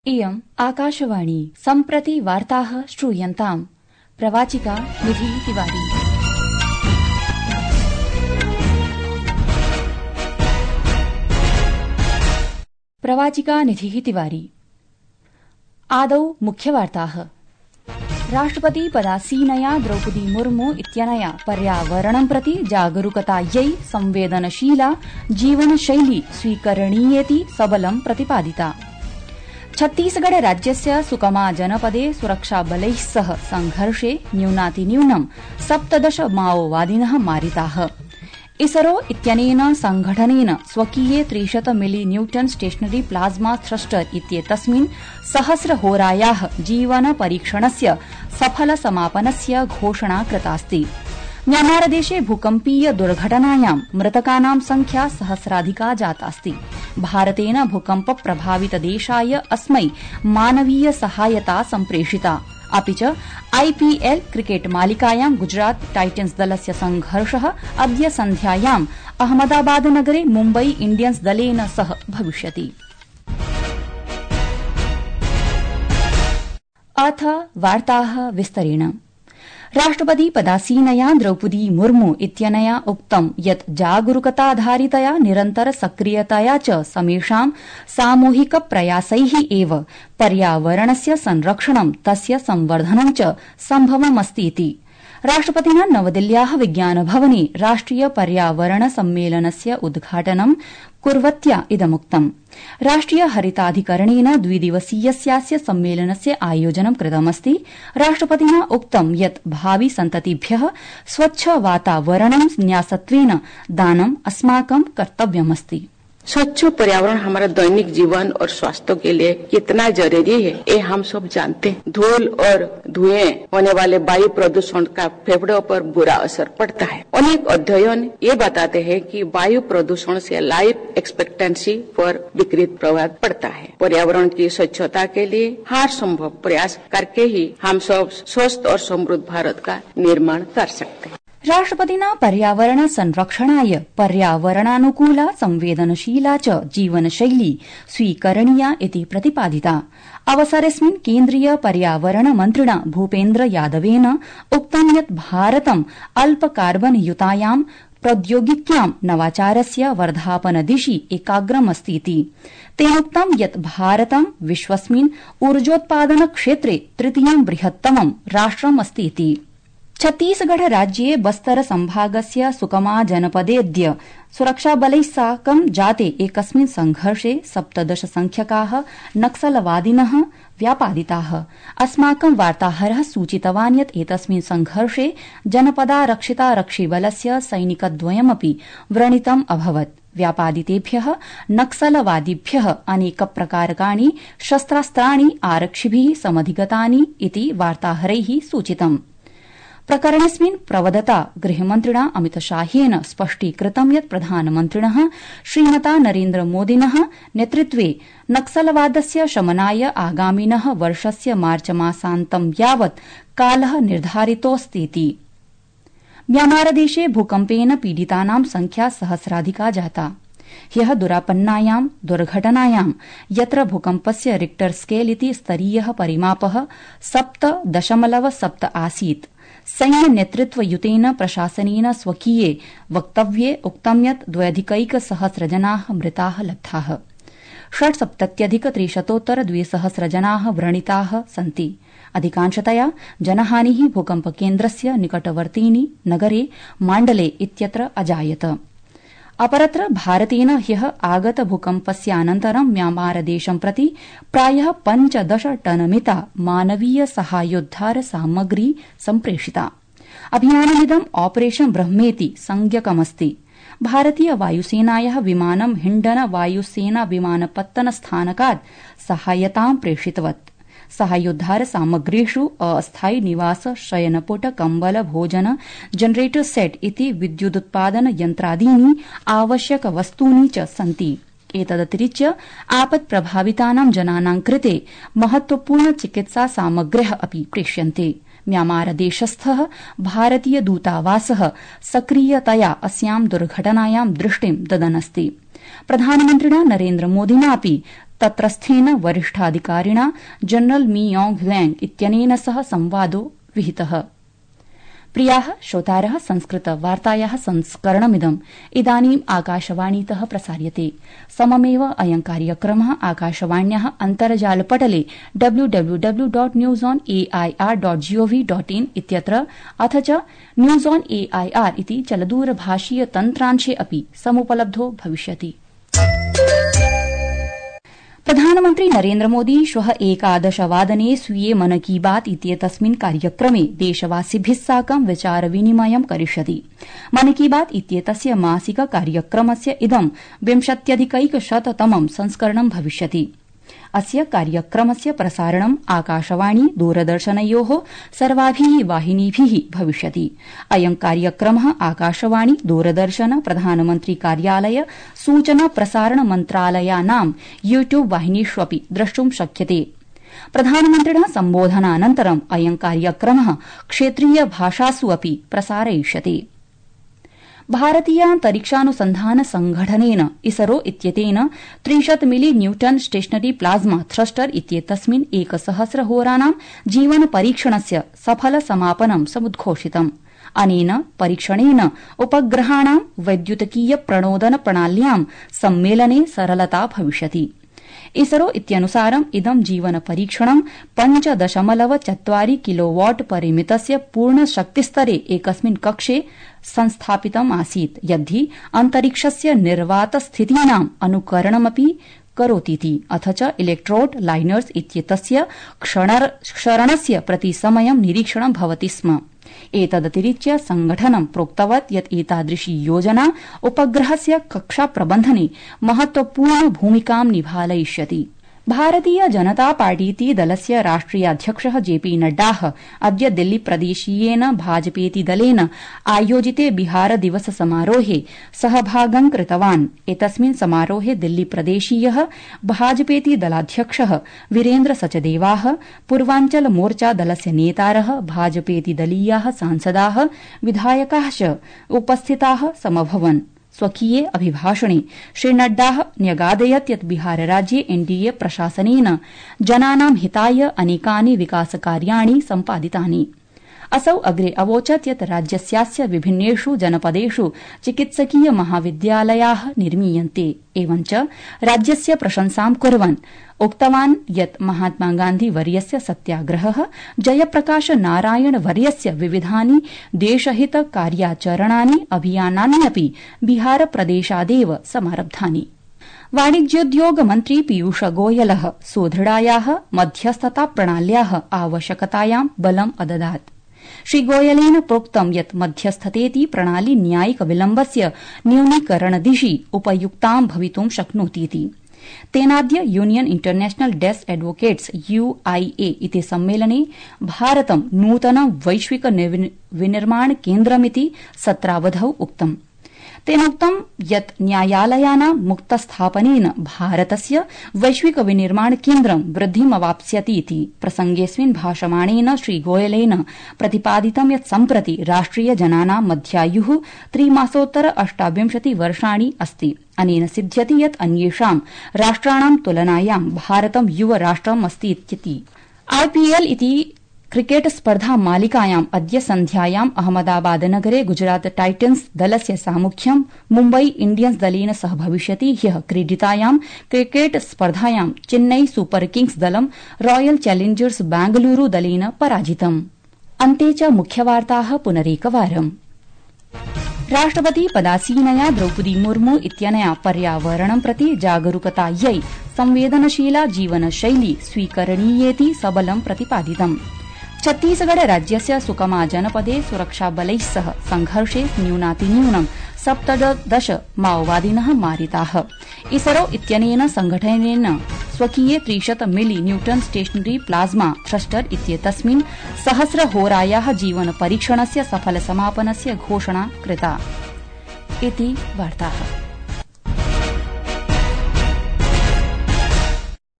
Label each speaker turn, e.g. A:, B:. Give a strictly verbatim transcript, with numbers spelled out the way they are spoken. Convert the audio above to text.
A: इयम् आकाशवाणी सम्प्रति वार्ताः श्रूयन्ताम्। प्रवाचिका निधि तिवारी। प्रवाचिका निधि तिवारी। आदौ मुख्यवार्ताः। राष्ट्रपति पदासीनया द्रौपदी मुर्मू इत्यनया पर्यावरणं प्रति जागरूकतायै संवेदनशीला जीवनशैली स्वीकरणीयेति सबलं प्रतिपादिता। छत्तीसगढ़ राज्यस्य सुकमा जनपदे सुरक्षाबलैः सह संघर्षे न्यूनातिन्यूनं सप्तदश माओवादिनः मारिताः। इसरो इत्यनेन संघटनेन स्वकीये त्रिशत मिलि न्यूटन स्टेशनरी प्लाज्मा थ्रस्टर इत्येतस्मिन् सहस्रहोरायाः जीवन परीक्षणस्य सफल समापनस्य घोषणा कृतास्ति। म्यांमारदेशे भूकम्पीय दुर्घटनायां मृतकानां संख्या सहस्राधिका जातास्ति। भारतेन भूकम्प प्रभावित देशाय अस्मै मानवीय सहायता सम्प्रेषिता। अपि च आईपीएल क्रिकेट मालिकायां गुजरात टाइटन्स दलस्य संघर्षः अद्य सन्ध्यायाम् अहमदाबाद नगरे मुम्बई इण्डियन्स दलेन सह भविष्यति। अथ वार्ताः विस्तरेण। राष्ट्रपति पदासीनया द्रौपदी मुर्मू इत्यनया उक्तं यत् जागरूकताधारितया निरन्तर सक्रियतया च समेषां सामूहिक प्रयासैः एव पर्यावरणस्य संरक्षणं तस्य संवर्धनं च सम्भवमस्तीति। राष्ट्रपतिना नवदिल्ल्याः विज्ञानभवने राष्ट्रिय पर्यावरण सम्मेलनस्य उद्घाटनं कुर्वत्या इदमुक्तम्। राष्ट्रिय हरिताधिकरणेन द्विदिवसीयस्यास्य सम्मेलनस्य आयोजनं कृतमस्ति। राष्ट्रपतिना उक्तं यत् भावि सन्ततिभ्यः स्वच्छ वातावरणं न्यासत्वेन दानम् अस्माकं कर्तव्यमस्ति।
B: स्वच्छ पर्यावरण हमारा दैनिक जीवन और स्वास्थ्य के लिए कितना जरूरी है, ये हम सब जानते हैं। धूल और धुएं होने वाले वायु प्रदूषण का फेफड़ों पर बुरा असर पड़ता है। अनेक अध्ययन ये बताते हैं कि वायु प्रदूषण से लाइफ एक्सपेक्टेंसी पर विपरीत प्रभाव पड़ता है। पर्यावरण की स्वच्छता के लिए हर संभव प्रयास करके ही हम सब स्वस्थ और समृद्ध भारत का निर्माण कर सकते हैं।
A: राष्ट्रपतिना पर्यावरण संरक्षणाय पर्यावरणानुकूला संवेदनशीला च जीवनशैली स्वीकरणीया इति प्रतिपादिता। अवसरेऽस्मिन् केन्द्रीय पर्यावरण मन्त्रिणा भूपेन्द्र यादवेन उक्तं यत् भारतं अल्प कार्बन युतायां प्रौद्योगिक्यां नवाचारस्य वर्धापन दिशि एकाग्रमस्तीति। तेनोक्तं यत् भारतं विश्वस्मिन् ऊर्जोत्पादन क्षेत्रे तृतीयं बृहत्तमं राष्ट्रमस्तीति। छत्तीसगढ़ राज्ये बस्तर संभागस्य सुकमा जनपदेऽद्य सुरक्षाबलैः साकं जाते एकस्मिन् संघर्षे सप्तदश संख्यकाः नक्सलवादिनः व्यापादिताः। अस्माकं वार्ताहरः सूचितवान् यत् एतस्मिन् संघर्षे जनपदारक्षितारक्षिबलस्य सैनिकद्वयमपि व्रणितम् अभवत्। व्यापादितेभ्यः नक्सलवादिभ्यः अनेकप्रकारकाणि शस्त्रास्त्राणि आरक्षिभिः समधिगतानि इति वार्ताहरैः सूचितम्। प्रकरणेऽस्मिन् प्रवदता गृहमन्त्रिणा अमितशाहेन स्पष्टीकृतं यत् प्रधानमन्त्रिणः श्रीमता नरेन्द्रमोदिनः नेतृत्वे नक्सलवादस्य शमनाय आगामिनः वर्षस्य मार्चमासान्तं यावत् कालः निर्धारितोऽस्तीति। म्यांमारदेशे भूकम्पेन पीडितानां संख्या सहस्राधिका जाता। ह्यः दुरापन्नायां दुर्घटनायां यत्र भूकम्पस्य रिक्टर स्केल इति स्तरीयः परिमापः सप्त दशमलव सप्त आसीत्। सैन्य नेतृत्वयुतेन प्रशासनेन स्वकीये वक्तव्ये उक्तं यत् द्व्यधिकैकसहस्र जनाः मृताः लब्धाः। षट्सप्तत्यधिक त्रिशतोत्तर द्विसहस्र जनाः व्रणिताः सन्ति। अधिकांशतया जनहानिः भूकम्पकेन्द्रस्य निकटवर्तीनि नगरे माण्डले इत्यत्र अजायत। अपरत्र भारतेन ह्यः आगत भूकम्पस्यानन्तरं म्यांमारदेशं प्रति प्रायः पञ्चदश टनमिता मानवीय सहायोद्धार सामग्री सम्प्रेषिता। अभियानमिदं ऑपरेशन ब्रह्मेति संज्ञकमस्ति। भारतीय वायुसेनायाः विमानं हिण्डन वायुसेना विमानपत्तन स्थानकात् सहायतां प्रेषितवत्। सहायोद्धार सामग्रीषु अस्थायी निवास शयनपुट कम्बल भोजन जनरेटर सेट इति विद्युदुत्पादन यन्त्रादीनि आवश्यक वस्तूनि च सन्ति। एतदतिरिच्य आपत् प्रभावितानां जनानां कृते महत्वपूर्ण चिकित्सा सामग्र्यः अपि प्रेष्यन्ते। म्यांमारदेशस्थः भारतीय दूतावासः सक्रियतया अस्यां दुर्घटनायां दृष्टिं ददनस्ति। प्रधानमन्त्रिणा नरेन्द्रमोदिनापि तत्रस्थेन वरिष्ठाधिकारिणा जनरल मी योंग ह्लेंग इत्यनेन सह संवादो विहितः। प्रियाः श्रोतारः, संस्कृतवार्तायाः संस्करणमिदम् इदानीम् आकाशवाणीतः प्रसार्यते। सममेव अयं कार्यक्रमः आकाशवाण्याः अन्तर्जालपटले W W W dot news on AIR dot GOV dot in इत्यत्र अथ च न्यूज ऑन एआईआर इति चलदूरभाषीय तन्त्रांशे अपि समुपलब्धो भविष्यति। प्रधानमन्त्री नरेन्द्रमोदी श्वः एकादशवादने स्वीये मन की बात इत्येतस्मिन् कार्यक्रमे देशवासिभिः साकं विचारविनिमयं करिष्यति। मन की बात इत्येतस्य मासिक कार्यक्रमस्य इदं विंशत्यधिकैकशततमं संस्करणं भविष्यति। अस्य कार्यक्रमस्य प्रसारणम् आकाशवाणी दूरदर्शनयोः सर्वाभिः वाहिनीभिः भविष्यति। अयं कार्यक्रमः आकाशवाणी दूरदर्शन प्रधानमन्त्री कार्यालय सूचना प्रसारण मन्त्रालयानां यूट्यूब वाहिनीष्वपि द्रष्टुं शक्यते। प्रधानमन्त्रिणः सम्बोधनानन्तरम् अयं कार्यक्रमः क्षेत्रीय भाषासु अपि प्रसारयिष्यते। भारतीयान्तरिक्षानुसन्धान संघटनेन इसरो इत्येतेन त्रिशत् मिलि न्यूटन स्टेशनरी प्लाज्मा थ्रस्टर इत्येतस्मिन् एकसहस्रहोराणां जीवन परीक्षणस्य सफल समापनं समुद्घोषितम्। अनेन परीक्षणेन उपग्रहाणां वैद्युतिकीय प्रणोदन प्रणाल्यां सम्मेलने सरलता भविष्यति। इसरो इत्यनुसारम् इदं जीवन परीक्षणं पञ्च दशमलव चत्वारि किलोवाट परिमितस्य पूर्णशक्तिस्तरे एकस्मिन् कक्षे संस्थापितम् आसीत्, यद्धि अन्तरिक्षस्य निर्वातस्थितीनाम् अनुकरणमपि करोतीति। अथ च इलेक्ट्रोड लाइनर्स इत्येतस्य क्षरणस्य प्रतिसमयं निरीक्षणं भवति स्म। एतदतिरिच्य संघटनं प्रोक्तवत् यत् एतादृशी योजना उपग्रहस्य कक्षाप्रबन्धने महत्वपूर्ण भूमिकां निभालयिष्यति। भारतीय जनता पार्टीति दलस्य राष्ट्रियाध्यक्षः जेपी नड्डा अद्य दिल्ली प्रदेशीयेन भाजपेति दलेन आयोजिते बिहार दिवस समारोहे सहभागं कृतवान्। एतस्मिन् समारोहे दिल्ली प्रदेशीयः भाजपेति दलाध्यक्षः वीरेन्द्र सचदेवाः, पूर्वाञ्चल मोर्चा दलस्य नेतारः, भाजपेति दलीयाः सांसदाः, विधायकाः च उपस्थिताः समभवन्। स्वकीये अभिभाषणे श्री नड्डा न्यगादयत् यत् बिहारराज्ये एनडीए प्रशासनेन जनानां हिताय अनेकानि विकासकार्याणि सम्पादितानि। असौ अग्रे अवोचत् यत् राज्यस्यास्य विभिन्नेषु जनपदेषु चिकित्सकीय महाविद्यालयाः निर्मीयन्ते। एवञ्च राज्यस्य प्रशंसां कुर्वन् उक्तवान् यत् महात्मा गान्धी वर्यस्य सत्याग्रहः, जयप्रकाश नारायण वर्यस्य विविधानि देशहित कार्याचरणानि अभियानान्यपि बिहार प्रदेशादेव समारब्धानि। वाणिज्योद्योग मन्त्री पीयूष गोयलः सुदृढायाः मध्यस्थता प्रणाल्याः आवश्यकतायां बलम् अददात्। श्री गोयलेन प्रोक्तं यत् मध्यस्थतेति प्रणाली न्यायिक विलम्बस्य न्यूनीकरणदिशि उपयुक्तां भवितुं शक्नोतीति। तेनाद्य यूनियन इंटरनेशनल डेस्क एडवोकेट्स यूआईए इति सम्मेलने भारतं नूतनं वैश्विक विनिर्माण केन्द्रमिति सत्रावधौ उक्तम्। तेनोक्तं यत् न्यायालयानां मुक्तस्थापनेन भारतस्य वैश्विक विनिर्माण केन्द्रं वृद्धिमवाप्स्यति इति। प्रसंगेऽस्मिन् भाषमाणेन श्री गोयलेन प्रतिपादितं यत् सम्प्रति राष्ट्रिय जनानां मध्यायुः त्रिमासोत्तर अष्टाविंशति वर्षाणि अस्ति। अनेन सिध्यति यत् अन्येषां राष्ट्राणां तुलनायां भारतं युवराष्ट्रम् अस्ति इत्यति। आईपीएल इति क्रिकेट स्पर्धा मालिकायाम् अद्य सन्ध्यायाम् अहमदाबाद नगरे गुजरात टाइटन्स दलस्य सामुख्यं मुम्बई इंडियन्स दलेन सह भविष्यति। ह्यः क्रीडितायां क्रिकेट स्पर्धायां चेन्नई सुपर किंग्स दलं रॉयल चैलेंजर्स बेंगलुरू दलेन पराजितम्। अन्ते च मुख्यवार्ताः पुनरेकवारम्। राष्ट्रपति पदासीनया द्रौपदी मुर्मू इत्यनया पर्यावरणं प्रति जागरूकतायै संवेदनशीला जीवनशैली स्वीकरणीयेति सबलं प्रतिपादितम्। छत्तीसगढ़ राज्यस्य सुकमा जनपदे सुरक्षाबलैः सह संघर्षे न्यूनातिन्यूनं सप्तदश माओवादिनः मारिताः। इसरो इत्यनेन संघटनेन स्वकीये त्रिशत मिलि न्यूटन स्टेशनरी प्लाज्मा थ्रस्टर इत्येतस्मिन् सहस्रहोरायाः जीवन परीक्षणस्य सफल समापनस्य घोषणा कृता। इति वार्ताः।